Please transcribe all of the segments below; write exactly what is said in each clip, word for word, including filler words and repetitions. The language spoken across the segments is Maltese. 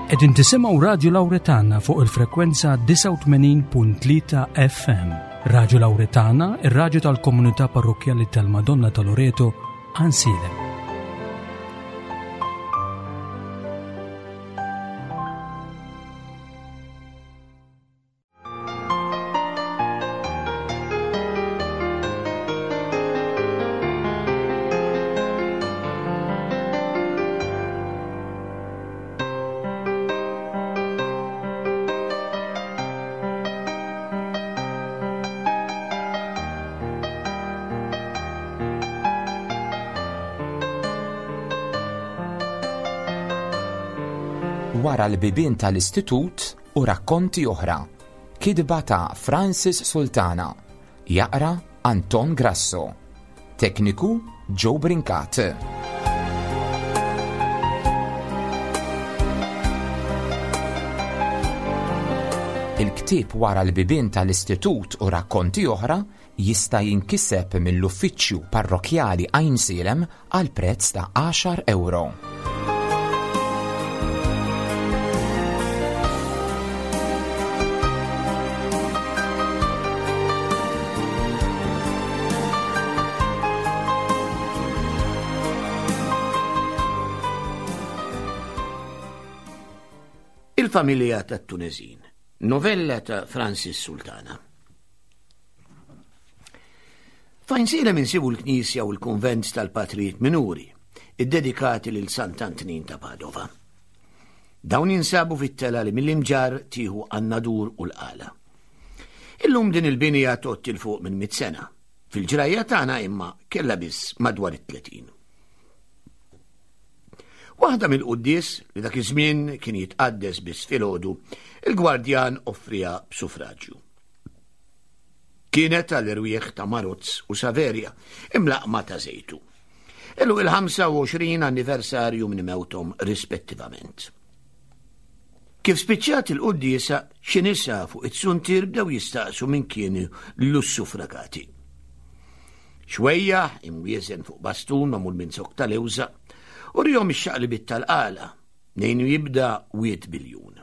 Qegħdin tisimgħu Radju Lawretana fuq il-frekwenza disgħa u tmenin punt tlieta F M. Radju Lawretana, ir-radju tal-Komunità Parrokkjali tal-Madonna ta' Loreto, Għajnsielem. Wara l-bibien tal-istitut u rakkonti oħra. Kitba ta' Francis Sultana. Jaqra Anton Grasso. Tekniku Joe Brincat. Il-ktieb Wara l-bibien tal-istitut u rakkonti oħra jista' jinkiseb mill-uffiċċju parrokjali Għajnsielem għal prezz ta' għaxar euro. Il-familja tat-Tuneżin. Novella ta' Francis Sultana. F'Għajnsielem insibu l-Knisja u l-Kunvent tal-Patrijiet Minuri, iddedikati lil Sant'Antnin ta' Padova. Dawn jinsabu fit-telgħa li mill-Imġarr tieħu għan-Nadur u l-Qala. Illum din il-binja tgħodd 'il fuq minn mitt sena. Fil-ġrajja tagħna imma kella biss madwar it-tletin. Waħda mill-quddies li dak iż-żmien kien jitqaddes biss filgħodu, il-gwardjan offrija b'suffraġġju. Kienet għall-irwieħ ta' Marozz u Saverja, imlaqma ta' Żejtu. Illum il-ħamsa u għoxrin anniversarju minn mewthom rispettivament. Kif spiċċat il-quddiesa, xi nisa fuq it-suntier bdew jistaqsu min kienu l-suffragati. Xwejjaħ imwieżen fuq bastun magħmul minn zokk ta' lewża, u wriehom ix-xaqlibiet tal-Qala, mnejn jibda Wied Biljun.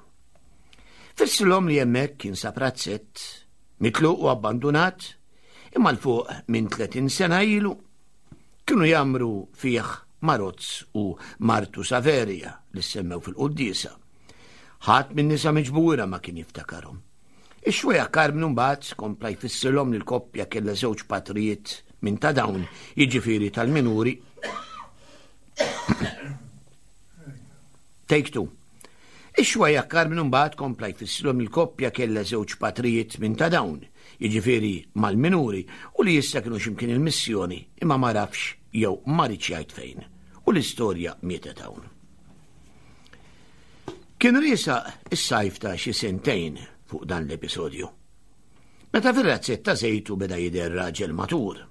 Fissrilhom li hemmhekk kien sab razzett, mitluq u abbandunat, imma 'l fuq minn tletin sena ilu, kienu jgħammru fih Marozz u martu Saverja li semmew fil-quddiesa. Ħadd minn nisa miġbura ma kien jiftakarhom. Ix-xwejjaħ Karmnu mbagħad kompla jfissirlhom li l-koppja kellha żewġ patrijiet minn ta' dawn, jiġifieri tal-minuri. Take two. Ix-xwejjaħ Karmnu mbagħad kompla jfissirlhom il-koppja kellha żewġ patrijiet minn ta' dawn, jiġifieri mal-minuri, u li issa kienu x'imkien il-missjoni imma ma rafx jew ma riedx jgħid fejn. U l-istorja mietet hawn. Kien riesaq is-sajf ta' xi sentejn fuq dan l-episodju. Meta fir-razzett ta' Żejtu beda jidher raġel matur.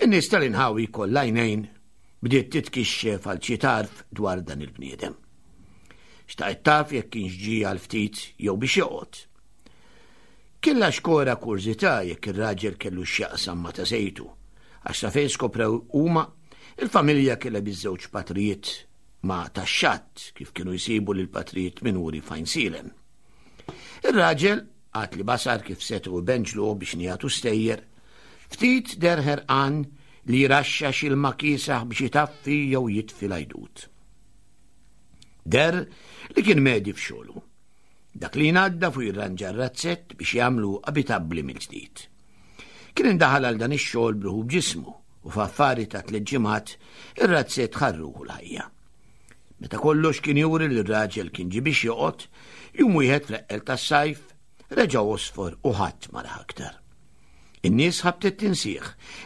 In-nies tal-inħawi kollha għajnejn bdiet titkixxef għal xi tarf dwar dan il-bniedem. Xtaqet taf jekk kienx ġie għal ftit jew biex joqgħod. Kella xkora kurżità jekk ir-raġel kellu x'jaqsam ma' ta' Żejtu, għax sa fejn skoprew huma il-familja kellha biż-żewġ patrijiet ma' tax-xatt kif kienu jsibu lil patrijiet minuri f'Għajnsielem. Ir-raġel għad li basar kif setgħu benġlu biex nijatu stejjer, ftit deher ħerqan li jraxxax ilma kiesaħ biex jitaffi jew jitfi l-għajdut. Deher li kien medhi f'xogħlu. Dak li jnaddaf u jirranġa r-razzett biex jagħmlu abitabbli mill-ġdid. Kien indaħal għal dan ix-xogħol b'ruħu b'ġismu u f'affari ta' tliet ġimgħat ir-razzett ħa ruħu l-ħajja. Meta kollox kien juri li r-raġel kien ġie biex joqgħod, jum wieħed fl-eqqel tas-sajf reġa' għosfor u ħadd ma rah aktar. In-nies ħabtet tinsih,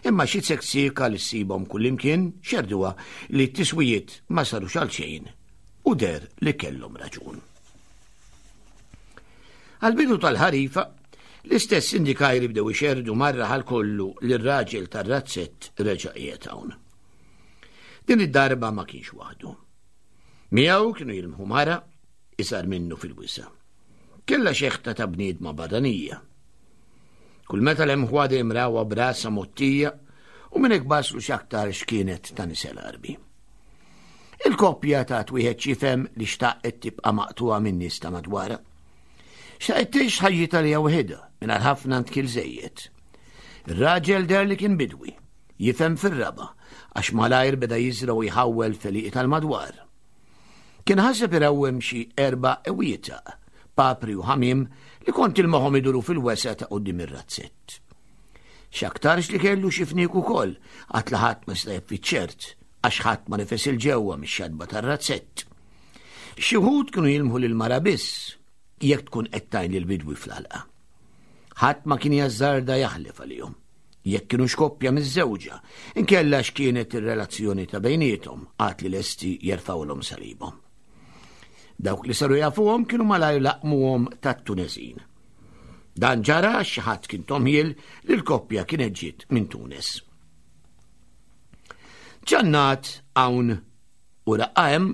imma xi seksika li ssibhom kullimkien xerduha li t-tiswijiet ma sarux għal xejn u deher li kellhom raġun. Għal-bidu tal-ħarifa, l-istess indikajri bdew ixerdu mar-raħal kollu li r-raġel tar-razzett reġa' qiegħed hawn. Din id-darba ma kienx waħdu. Miegħu kienu jilmħu mara iżgħar minnu fil-wisa. Kella xeħta ta' bniedma barranija. Kull meta lemħuha dejjem rawha b'rasha mgħottija u minn hekk baslu x'aktar x'kienet ta' nisel Għarbi. Il-koppja tat wieħed x'jifhem li xtaqet tibqa' maqtugħa min-nies ta' madwarha. Xtaqet tgħix ħajjitha li waħedha mingħajr ħafna ndkil żejjed. Ir-raġel deher li kien bidwi, jifhem fir-raba' għax malajr beda jiżra' u jħawwel f'għelieqi tal-madwar. Kien ħaseb irawwem xi erba' ewietaq, papri u ħamiem li kont tilmaħhom iduru fil-wesgħa ta' quddiem ir-razzett. X'aktarx li kellu xi fniek ukoll, għad li ħadd ma seta' jaf ċert għax ħadd ma nifes 'il ġewwa mix-xatba tar-razzett. Xi wħud kienu jilmħu lil mara biss jekk tkun qed tgħin lil bidwi fl-għalqa. Ħadd ma kien jażżarda jaħlef għalihom jekk kienu x'koppja miżżewġa, inkella x'kienet ir-relazzjoni ta' bejniethom għad li lesti jerfgħulhom salibhom. Dawk li saru jafuhom kienu malajr laqmuhom tat-Tunesin. Dan ġara għax xi ħadd kien tomħiel li l-koppja kienet ġiet minn Tunes. Ġannat hawn u raqqa hemm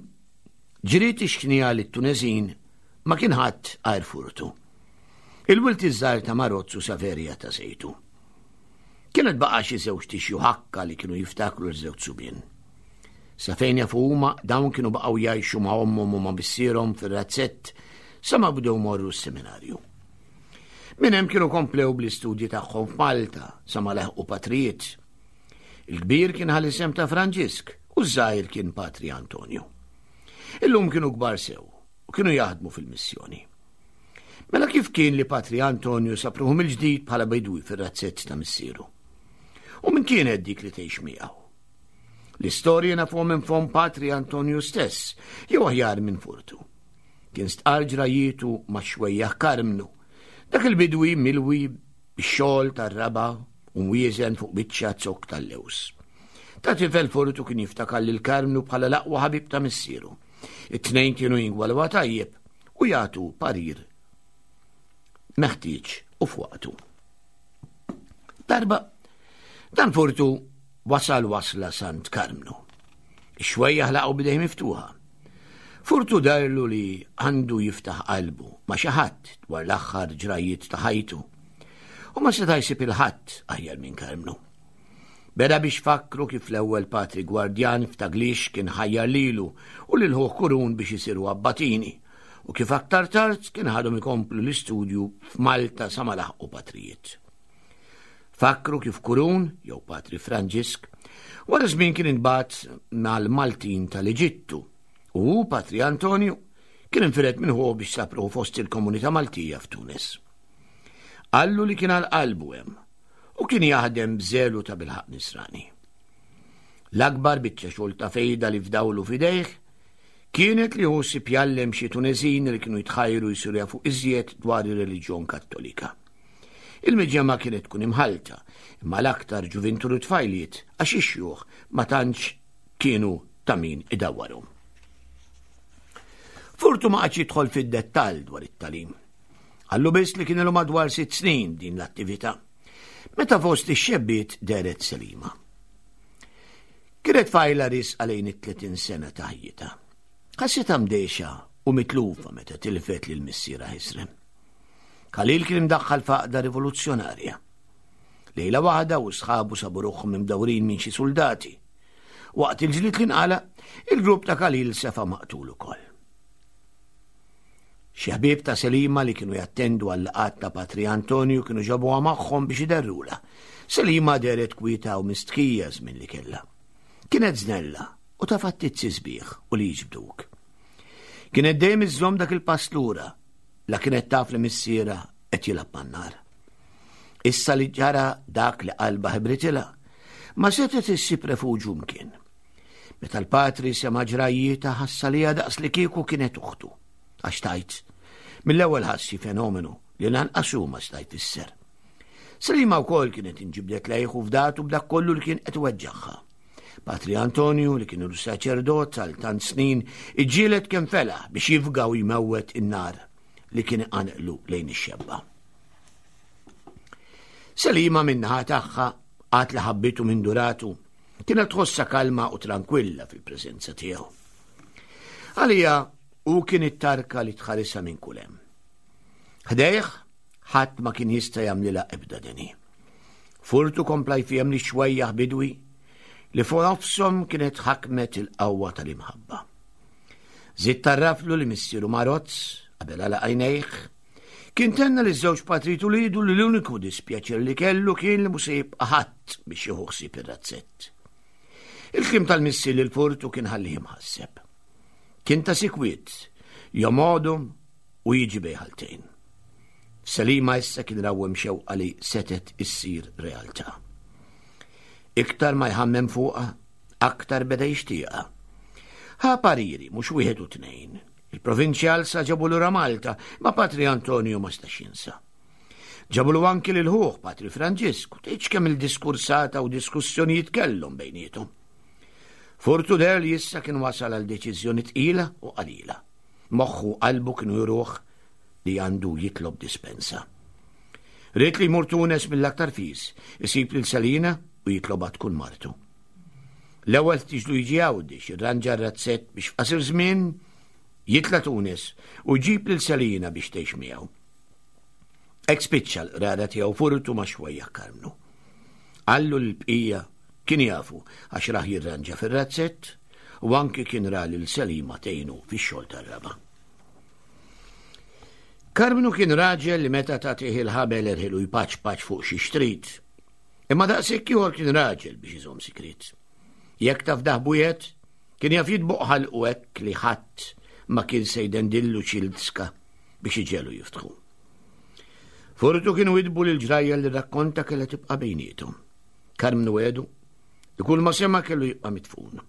ġriet ix-xnija li t-Tunesin ma kien ħadd għajr Furtu. Il-wild iż-żgħir ta' Marozzu Saverja ta' Sejtu. Kienet baqa' xi żewġ tixju ħakka li kienu jiftakru l-żewġ subien. Sa fejn jafu huma dawn kienu baqgħu jgħixu ma' ommhom u ma' missierhom fir-razzett sa ma bdew morru s-seminarju. Minn hemm kienu komplew bl-istudji tagħhom f'Malta sa ma leħqu patrijiet. Il-kbir kien ħa l-isem ta' Franġisk u ż-żgħir kien Patri Antonio. Illum kienu kbar sew u kienu jaħdmu fil-missjoni. Mela kif kien li Patri Antonio sab ruħu mill-ġdid bħala bidwi fir-razzett ta' missieru? U min kienet dik li tgħix miegħu? L-istorja nafuha minn fomm Patri Antonio stess, jew aħjar minn Furtu. Kien stqarr ġrajjietu ma' xwejjaħ Karmnu, dak il-bidwi milwi bix-xogħol tar-raba' u mwieżen fuq biċċa zokk tal-lews. Ta' tifel Furtu kien jiftakar lil Karmnu bħala l-aqwa ħabib ta' missieru. It-tnejn kienu jingwalwa tajjeb u jagħtu parir meħtieġ u f'waqtu. Darba, dan Furtu wasal wasla Sant Karmnu. Ix-xwejjaħ laqgħu b'idejh miftuħa. Furtu darlu li għandu jiftaħ qalbu ma' xi ħadd dwar l-aħħar ġrajiet ta' ħajtu. U ma seta' jsib il-ħadd aħjar minn Karmnu. Beda biex fakru kif l-ewwel patri gwardjan f'Taglix kien ħajjar lilu u lil ħuh Kurun biex isiru abbatini u kif aktar tard kien ħadhom ikomplu l-istudju f'Malta sa ma laħqu patrijiet. Fakru kif Kurun, jew Patri Franġisk, wara żmien kien intbagħat mal-Maltin tal-Eġittu u hu, Patri Antonio, kien infired minn ħuh biex sab ruħu fost il-komunità Maltija f'Tunis. Qallu li kien għal qalbu hemm u kien jaħdem b'żelu ta' bilħaq nisrani. L-akbar biċċa xogħol ta' fejda li fdawlu f'idejh kienet li hu sib jgħallem xi Tunesin li kienu jitħajru jsiru jafu iżjed dwar ir-reliġjon Kattolika. Il-miġemma kienet tkun imħalta, imma l-aktar ġuvintur u tfajliet għax ix-xjuħ ma tantx kienu ta' min idawwarhom. Furtu ma qagħadx jidħol fid-dettall dwar it-tagħlim. Qallu biss li kien ilu madwar sitt snin din l-attività, meta fost ix-xebbiet dehret Selima. Kienet tfajla riesqa lejn it-tletin sena ta' ħajjitha. Ħassitha mdejxa u mitlufa meta tilfet lil missierha ħisrem. Khalil kien imdaħħal f'għaqda rivoluzzjonarja. Lejla waħda u sħabu sabu ruħhom imdawrin minn xi soldati. Waqt il-ġlied li nqala, il-grupp ta' Khalil sefa maqtul ukoll. Xi ħbieb ta' Selima li kienu jattendu għal-laqgħat ta' Patri Antonio kienu ġabuha magħhom biex iderrula. Selima dehret kwieta u mistħija żmien li kellha. Kienet żnella u ta' fattizzi sbieħ u li jiġbduk. Kienet dejjem iżżomm dak il-pass lura la kienet taf li missiera qed jilgħab man-nar. Issa li ġara dak li qalba ħibritilha, ma setgħet issib refuġju mkien. Meta l-patri sema' ġrajjietha ħassa li daqs li kieku kienet uħtu. Għax tajt, mill-ewwel ħassi fenomenu li lanqas hu ma seta' jfisser. Selima wkoll kienet inġibdet lejh u fdatu b'dak kollu li kien qed iweġġagħha. Patri Antonio, li kien ilu saċerdot għal tant snin, iġġieled kemm felaħ biex jifga u jmewwet in-nar li kien iqanqlu lejn ix-xebba. Selima min-naħa tagħha għad li ħabbitu minn duratu, kienet tħossha kalma u tranquilla fil-preżenza tiegħu. Għalija hu kien it-tarka li tħarisha minn kull hemm. Ħdejh ħadd ma kien jista' jagħmlilha ebda deni. Furtu kompla jfiem li xwejjaħ bidwi li fuq nofshom kienet ħakmet il-qawwa tal-imħabba. Żied tarraflu li missieru Marozz, qabel għalaq għajnejh, kien tenna li żewġ patrijiet uliedu li l-uniku dispjaċir li kellu kien li mhux se jibqa' ħadd biex jieħu ħsieb ir-razzett. Il-kliem tal-missier lil Furtu kien ħallih imħasseb. Kien ta' sikwiet, jomgħodhom u jiġi bejn ħaltejn. F'Selima issa kien rawwem xewqa li setet issir realtà. Iktar ma jħammem fuqha, aktar beda jixtieqha. Ħa pariri, mhux wieħed u tnejn. Il-provinċjal sa ġabu lura Malta, ma Patri Antonio ma stax jinsa. Ġabulu anki lil ħuh Patri Franġisku, tgħidx kemm il-diskursata u diskussjonijiet kellhom bejniethom. Furtu deher li issa kien wasal għal deċiżjoni tqila u qalila. Moħħu u qalbu kienu juruh li għandu jitlob dispensa. Ried li jmur Tunes mill-aktar fis, isib lil Selina u jitlobha tkun martu. L-ewwel tiġlu jiġi Għawdex, jirranġa r-razzett biex f'qasir żmien jitla' Tunes u jġib lil Selina biex tgħix miegħu. Hekk spiċċa l-qrara tiegħu Furtu ma' xwejjaħ Karmnu. Qallu l-bqija kien jafu għax rah jirranġa fir-razzett u anki kien ra lil Selima tgħinu fix-xogħol tar-raba'. Karmnu kien raġel li meta tagħtih il-ħabel erħilu jpaċpaċ fuq xi xtrid. Imma daqshekk ieħor kien raġel biex iżomm sigriet. Jekk taf daħbujet, kien jaf jitboq ħalqu hekk li ħadd ma kien se jdendillu xi ltska biex iġelu jiftħu. Furtu kienu jidbu li l-ġrajja li rakkonta kellha tibqa' bejniethom. Karmnu għedu li kull ma sema kellu jibqa' mitfun.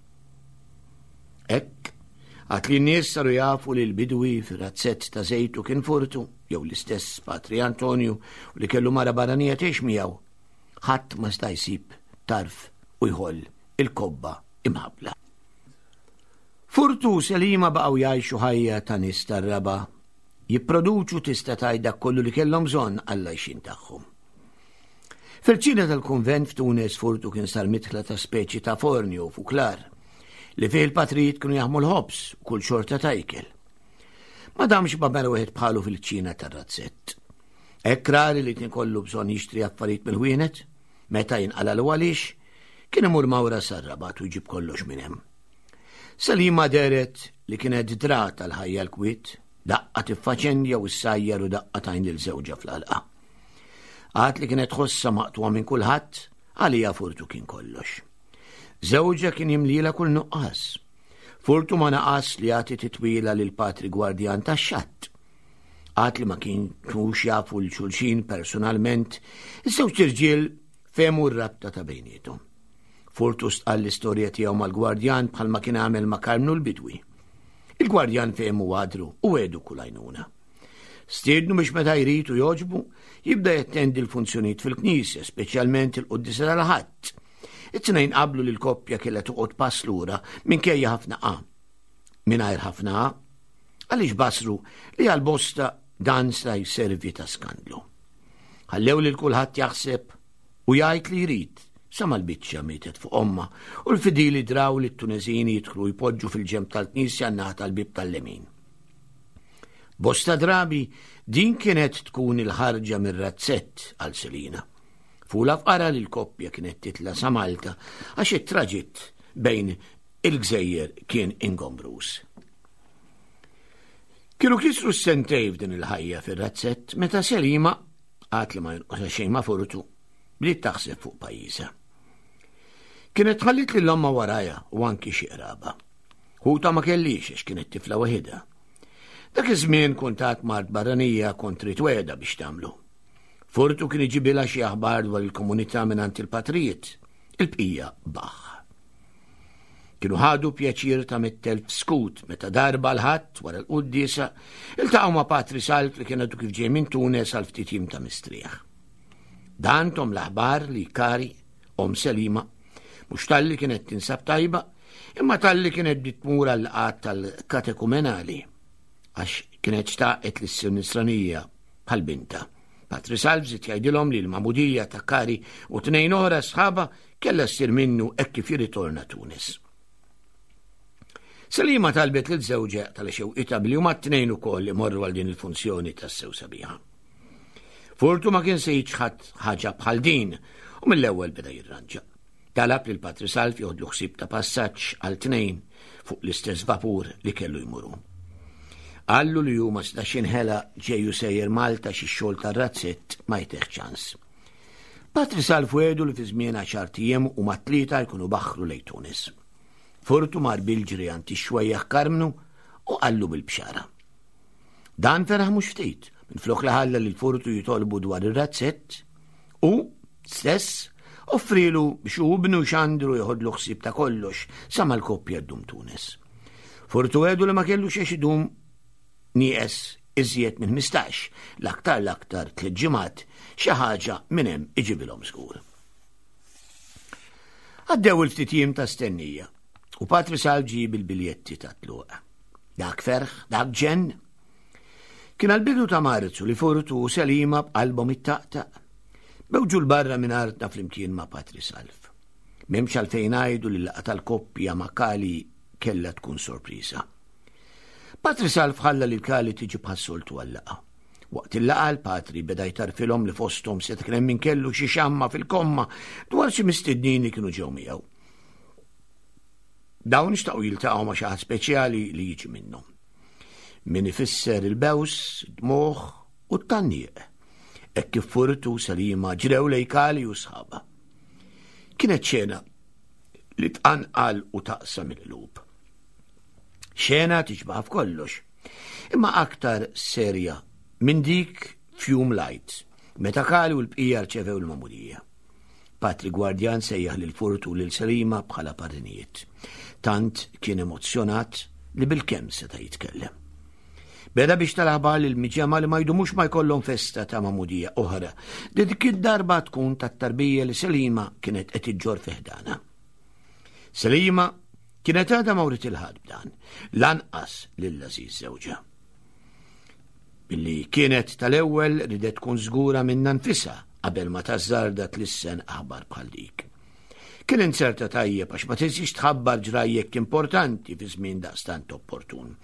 Hekk, għad li n-nies saru jafu li l-bidwi fir-razzett ta' żejtu kien Furtu, jew l-istess Patri Antonio u li kellu mara barranija tgħix miegħu, ħadd ma sta jsib tarf u jħoll il-kobba imħabbla. Furtu u Selima baqgħu jgħixu ħajja ta' nies tar-raba', jipproduċu tista' tgħid dak kollu li kellhom bżonn għall-għajxien tagħhom. Fil-ċina tal-kunvent f'Tunes Furtu kien sar mitħla ta' speċi ta' forni u fuklar li fih il-patrijiet kienu jaħmu l-ħobż u kull xorta ta' ikel. Ma damx ma mela wieħed bħalu fil-ċina tar-razzett. Hekk rari li kien kollu bżonn jixtri affarijiet mill-ħwienet, meta jinqalalu għaliex, kien imur mawra sar-Rabat u jġib kollox minn hemm. Selima dehret li kienet drat għal ħajja l-kwiet, daqqa tiffaċendja u ssajjar u daqqa tajn lil żewġha fl-għalqa. Għad li kienet tħossha maqtugħa minn kulħadd, għalija Furtu kien kollox. Żewġha kien jimlila kull nuqqas. Furtu ma naqas li jagħti titwila lil patri gwardjan tax-xatt. Għad li ma kienux jafu l xulxin personalment, iż-żewġ irġiel fehmu r-rabta ta' bejniethom. Furtu stqall l-istorja tiegħu mal-gwardjan bħalma kien għamel ma' Karmnu l-bidwi. Il-gwardjan fehmu għadru u għedu kull għajnuna. Stiednu biex meta jrid u jogħġbu jibda jattendi l-funzjonijiet fil-knisja, speċjalment il-quddiesa tal-Ħadd. It-tnejn qablu li l-koppja kellha toqgħod pass lura minkejja ħafna qa. Mingħajr ħafna qa, għaliex basru li għal bosta dan sta jservi ta' skandlu. Ħallew lil kulħadd jaħseb u jgħid li jrid, sa mal-biċċa mietet fuq omma u l-fidili draw li t-Tuneżini jidħlu jpoġġu fil-ġenb tal-knisja n-naħa tal-bieb tal-lemin. Bosta drabi din kienet tkun il-ħarġa mir-razzett għal Selina. Fula fqara li l-koppja kienet titla sa Malta għax it-traġitt bejn il-gżejjer kien ingombrus. Kienu kisru s-sentej f'din il-ħajja fir-razzett meta Selima, għad li ma jonqosha xejn ma' Furtu, bdiet taħseb fuq pajjiżha. Kienet ħallit lil omma warajha u anki xi qraba. Ħuta ma kellix għax kienet tifla waħedha. Dak iż-żmien kuntat mart barranija kont trid wegħda biex tagħmlu. Furtu kien iġibilha xi aħbar dwar il-komunità mingħand il-patrijiet, il-bqija baħ. Kienu ħadu pjaċir ta' mitt elf skut meta darba l-Ħadd wara l-quddiesa iltaqgħu ma' Patri Salv li kien għadu kif ġej minn Tunes għal ftit jiem ta' mistrieħ. Dan tom l-aħbar li Kari, om Selima, mhux talli kienet tinsab tajba, imma talli kienet bdiet tmur għall-laqgħat tal-katekumenali għax kienet xtaqet li ssir nisranija bħal binta. Patri Salv żied jgħidilhom li l-magħmudija ta' Kari u tnejn oħra sħaba kellha ssir minnu hekk kif jirritorna Tunis. Selima talbet lil żewġha tal-xewqita billi huma t-tnejn ukoll imorru għal din il-funzjoni tas-sew sabiħa. Furtu ma kien se jiċħad ħaġa bħal din u mill-ewwel beda jirranġa. Talab lil Patri Salv joħodlu ħsieb ta' passaġġ għal tnejn fuq l-istess vapur li kellu jmuru. Qallu li hu ma setax jinħela ġej u sejjer Malta xi xogħol tar-razzett ma jtih ċans. Patri Salv wegħdu li fi żmien għaxart ijiem huma t-tlieta jkunu baħħru lejn Tunis. Furtu mar bil-ġri għand ix-xwejjaħ Karmnu u qallu bil-bxara. Dan feraħ mhux ftit, minflok li ħalla lil Furtu jitolbu dwar ir-razzett u stess offrilu biex hu ibnu Xandru joħodlu ħsieb ta' kollox sa ma l-koppja ddum Tunis. Furtu wegħdu li ma kellu xiex idum nieqes iżjed minn ħmistax, l-aktar l-aktar tliet ġimgħat, xi ħaġa minn hemm iġibilhom żgur. Għaddew il-ftit jiem ta' stennija u Patri Salv ġie bil-biljetti ta' tluq. Dak ferħ, dak ġenn. Kien għall-bidu ta' Marzu li Furtu u Selima b'qalbhom ittaqtaq. Bewġu l-barra minn artna flimkien ma' Patri Salv. M'hemmx għalfejn ngħidu li l-laqgħa tal-koppja ma' Kali kellha tkun sorpriża. Patri Salv ħalla lil Kali tiġi bħas-soltu għal-laqgħa. Waqt il-laqgħa l-Patri beda jtarfilhom li fosthom se kien hemm min kellu xi xamma fil-komma dwar xi mistednin li kienu ġew miegħu. Dawn xtaqu jiltaqgħu ma' xi ħadd speċjali li jiġi minnhom. Min ifisser il-bews, id-dmugħ u t-tgħanniq. Hekk kif Furtu u Selima ġrew lejn Kali u sħabha. Kienet xena li tqanqal u taqsam il-qlub. Xena tixbaħ f'kollox, imma aktar serja minn dik f'jum l-Għid, meta Kali u l-bqija rċevew l-magħmudija. Patri Gwardjan sejjaħ lil Furtu lil Selima bħala parrinijiet. Tant kien emozzjonat li bil-kemm seta' jitkellem. Beda biex tal-aħbar lil miġemgħa li ma jdumux ma jkollhom festa ta' magħmudija oħra, li dik id-darba tkun tat-tarbija li Selima kienet qed iġġorr fi ħdana. Selima kienet għadha ma writ il-ħadd b'dan, lanqas lil Aziz żewġha. Billi kienet tal-ewwel ridet tkun żgura minnha nfisha qabel ma tażżarda tlissen aħbar bħal dik. Kien inserta tajjeb għax ma tinsiex tħabbar ġrajjek importanti fi żmien daqstant opportun.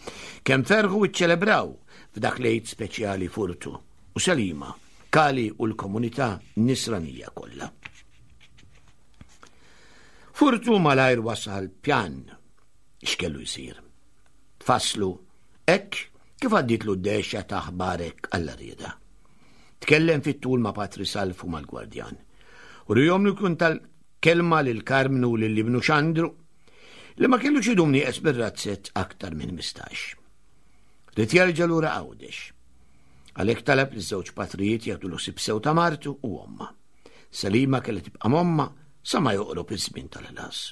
Kemm ferħu iċċelebraw f'dak l-Għid speċjali Furtu u Selima, Kali u l-komunità nisranija kollha. Furtu malajr wasal pjan x'kellu jsir. Tfasslu hekk kif għadditlu d-dehxa ta' aħbarek għall-rieda. Tkellem fit-tul ma' Patri Salv u mal-Gwardjan. U rihom li kun tal-kelma lil Karmnu lil ibnu Xandru li ma kellux idum nieqes bir-razzett aktar minn ħmistax. Ried jerġa' lura Għawdex. Għalhekk talab li żewġ patrijiet jagħtu l ħsieb sew ta' martu u omma. Selima kellha tibqa' m'omma sa ma joqrob iż-żmien tal-ħlas.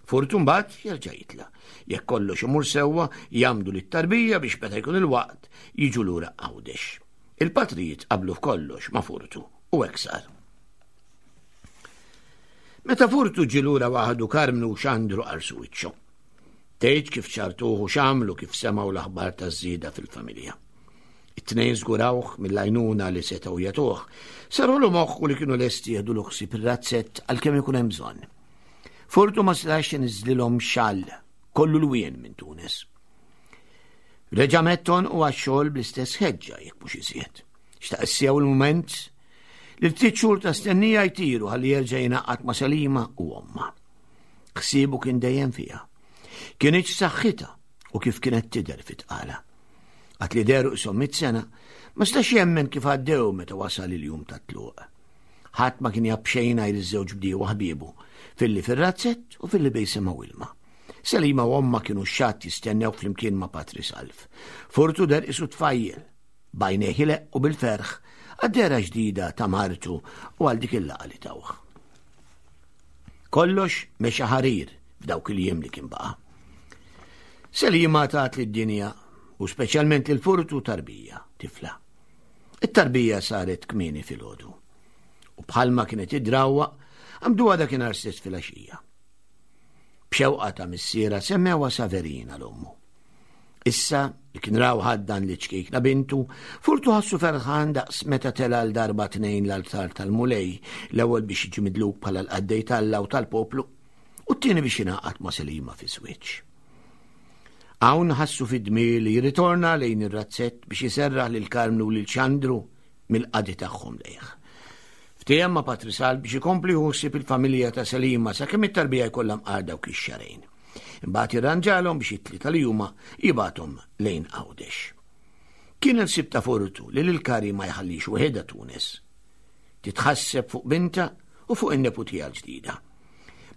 Furtu mbagħad jerġa' jitla'. Jekk kollox imur sewwa jagħmdu lit-tarbija biex meta jkun il-waqt jiġu lura Għawdex. Il-patrijiet qablu f'kollox ma' Furtu u hekk sar. Meta Furtu ġie lura waħdu Karmnu u Xandru qarsu wiċċu. Tgħid kif ċartuh u x'għamlu kif semgħu l-aħbar taż-żieda fil-familja. It-tnejn żgurawh mill-għajnuna li setgħu jagħtuh, sarulu moħħu li kienu lesti jieħdu l-ħsieb ir-razzett għalkemm ikun hemm bżonn. Furtu ma setax iniżżlilhom xall kollu lwien minn Tunis. Reġa' metton u għax-xogħol bl-istess ħeġġa jekk mhux iżjed. Xtaq issew il-mument li ftit xhur ta' stennija jtiru ħalli jerġa' jingħaqad ma' Selima u omma. Ħsiebu kien dejjem fiha. Kienx saħħitha u kif kienet tidher fit-tqala. Għad li dehru qishom mitt sena, ma stax jemmen kif għaddew meta wasal il-jum tat-tluq. Ħadd ma kien jaf b'xejn għajr iż-żewġ bdiewa ħbiebu, filli fir-razzett u filli bejn sema u ilma. Selima u omma kienu x-xatt jistennew flimkien ma' Patri Salv. Furtu deher qisu tfajjel, b'għajnejh ileqqu bil-ferħ, għad-dehra ġdida ta' martu u għal dik il-laqgħa li tawh. Kollox mexa ħarir f'dawk il-jiem li kien baqa'. Selima tat lid-dinja u speċjalment lil Furtu tarbija, tifla. It-tarbija saret kmieni filgħodu. U bħalma kienet id-drawwa, għamduha dakinhar stess filgħaxija. B'xewqa ta' missiera semmewha Saverina l-ommu. Issa li kien raw ħaddan li ċkejkna bintu, Furtu ħassu ferħan daqs meta tela l darba tnejn l-altar tal-Mulej, l-ewwel biex jiġi midluk bħala l-qaddej t'Alla u tal-poplu, u t-tieni biex jingħaqad ma' Selima fi żwieġ. Hawn ħassu fid-dmir li jirritorna lejn ir-razzett biex jiserraħ lil Karmnu u lil Xandru mill-qadi tagħhom lejh. Ftehim ma' Patri Salv biex ikompli ħsieb il-familja ta' Selima sakemm it-tarbija jkollha mqar dawk ix-xahrejn. Imbagħad jirranġalhom biex it-tlieta li huma jibgħathom lejn Għawdex. Kien il-ħsieb ta' Furtu li lil Kari ma jħallix waħedha Tunis. Titħasseb fuq binta u fuq in-neputija l-ġdida.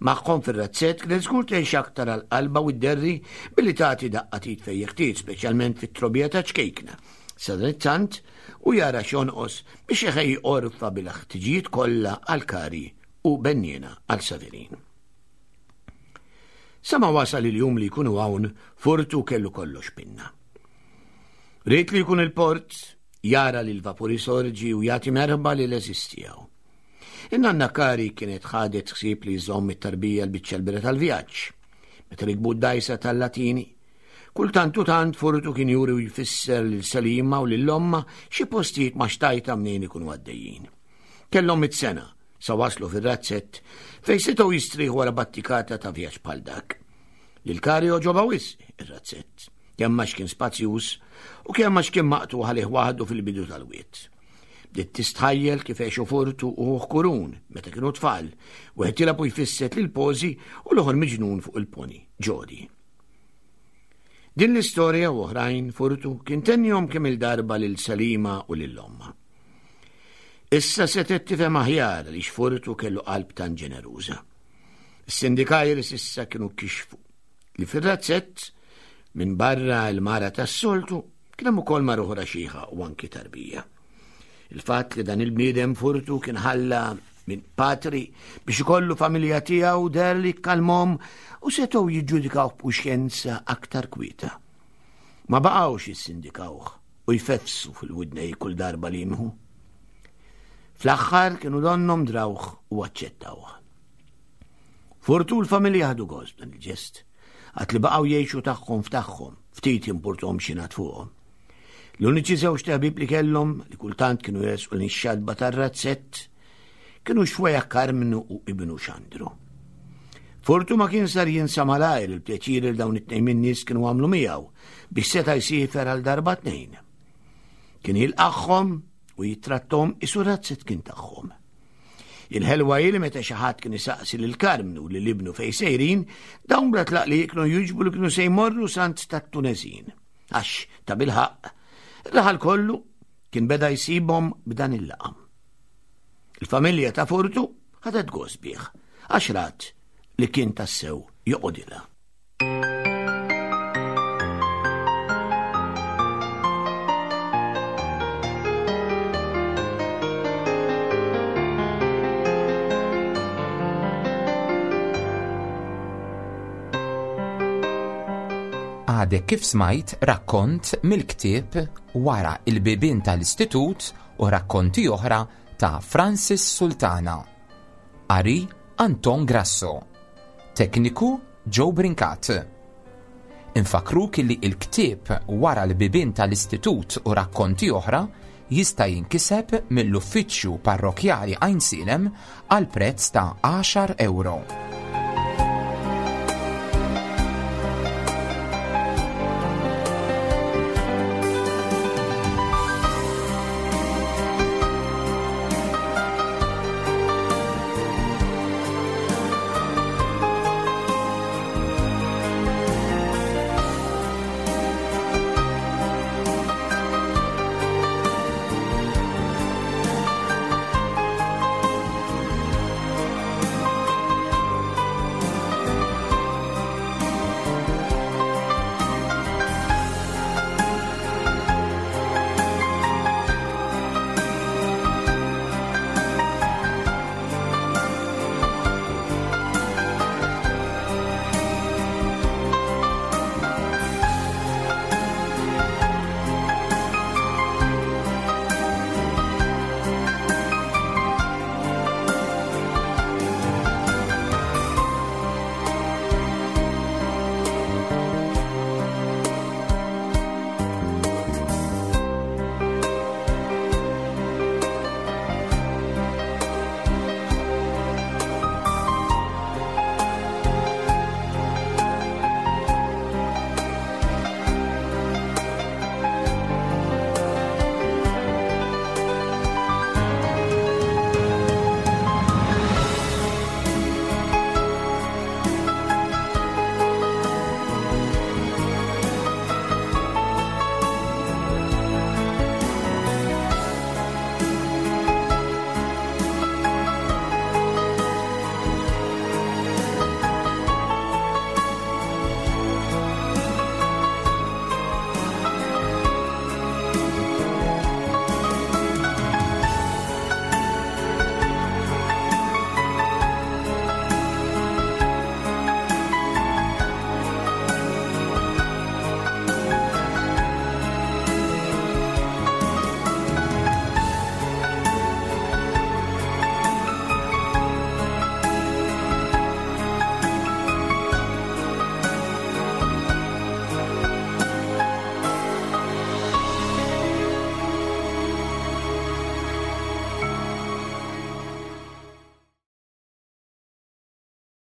Magħhom fir-razzett kienet żgur tgħix aktar għal qalba u dderri billi tagħti daqqa t'id fejn jeħtieġ, speċjalment fit-trobbija ta' ċkejkna. Sadanittant u jara x'jonqos biex iħejji għorfa bil-ħtiġijiet kollha għal Kari u benniena għal Saverin. Sa ma wasal il-jum li jkunu hawn, Furtu kellu kollox pinna. Ried li jkun il-port, jara li l-vapuri sorġi u jagħti merħba li l-għeżież tiegħu. In-nanna Kari kienet ħadet ħsieb li jżomm it-tarbija l-biċċa l-bira tal-vjaġġ. Meta rikbu d-dajsa tal-Latini, kultant u tant Furtu kien juri u jfisser lil Selima u lil ommha xi postijiet ma' xtajta mnejn ikunu għaddejjin. Kellhom mitt sena sa waslu fir-razzett fejn setgħu jistrieħu wara battikata ta' vjaġġ bħal dak. Lil Kari għoġobha wisq ir-razzett, kemm għax kien spazjuż u kemm għax kien maqtugħ għalih waħdu fil-bidu tal-wied. Bdiet tistħajjel kif għexu Furtu u ħuh Kurun meta kienu tfal, wieħed jilgħab u jfisset lil Pożi u l-oħor miġnun fuq il-poni, Ġodi. Din l-istorja u oħrajn Furtu kien tennihom kemm il-darba lil Selima u lil ommha. Issa setgħet tifhem aħjar li Furtu kellu qalb tan ġeneruża. Is-sindikajri s'issa kienu kixfu li fir-razzett minn barra l-mara tas-soltu kien hemm ukoll mara oħra xiħa u anki tarbija. Il-fatt li dan il-bniedem Furtu kien ħalla minn patri biex ikollu familja tiegħu deher li kalmhom u setgħu jiġġudikaw b'kuxjenza aktar kwieta. Ma baqgħux jissindikawh u jfefsu fil-widnej kull darba li jimħu. Fl-aħħar kienu donnhom drawh u aċċettawh. Furtu l-familja ħadu gost dan il-ġest, għad li baqgħu jgħixu tagħhom f'tagħhom, ftit jimpurtom x'ingħad fuqhom. L-uniċi żewġ ħbieb li kellhom li kultant kienu jersqu lejn ix-xatba tar-razzett kienu xwejjaħ Karmnu u ibnu Xandru. Furtu ma kien sar jinsa malajr il-pjaċir li dawn it-tnejn min-nies kienu għamlu miegħu biex seta' jsiefer għal darba tnejn. Kien jilqagħhom u jittrattom isu razzett kien tagħhom. Il-ħelwa hi li meta xi ħadd kien isaqsi lil Karmnu lil ibnu fejn sejrin, dawn bla tlaqliq kienu jiġbu li kienu se jmorru s'għand tat-Tuneżin. Għax ta' bilħaqq, ir-raħal kollu kien beda jsibhom b'dan il-laqam. Il-familja ta' Furtu ħadet gost bih, għax rat li kien tassew joqodilha. Għadek kif smajt rakkont mill-ktieb Wara il-bibien tal-Istitut u rakkonti oħra ta' Francis Sultana. Qari Anton Grasso. Tekniku Joe Brincat. Infakruk li il-ktieb Wara l-bibien tal-Istitut u rakkonti oħra jista' jinkiseb mill-Uffiċċju Parrokjali Għajnsielem għal prezz ta' għaxar euro.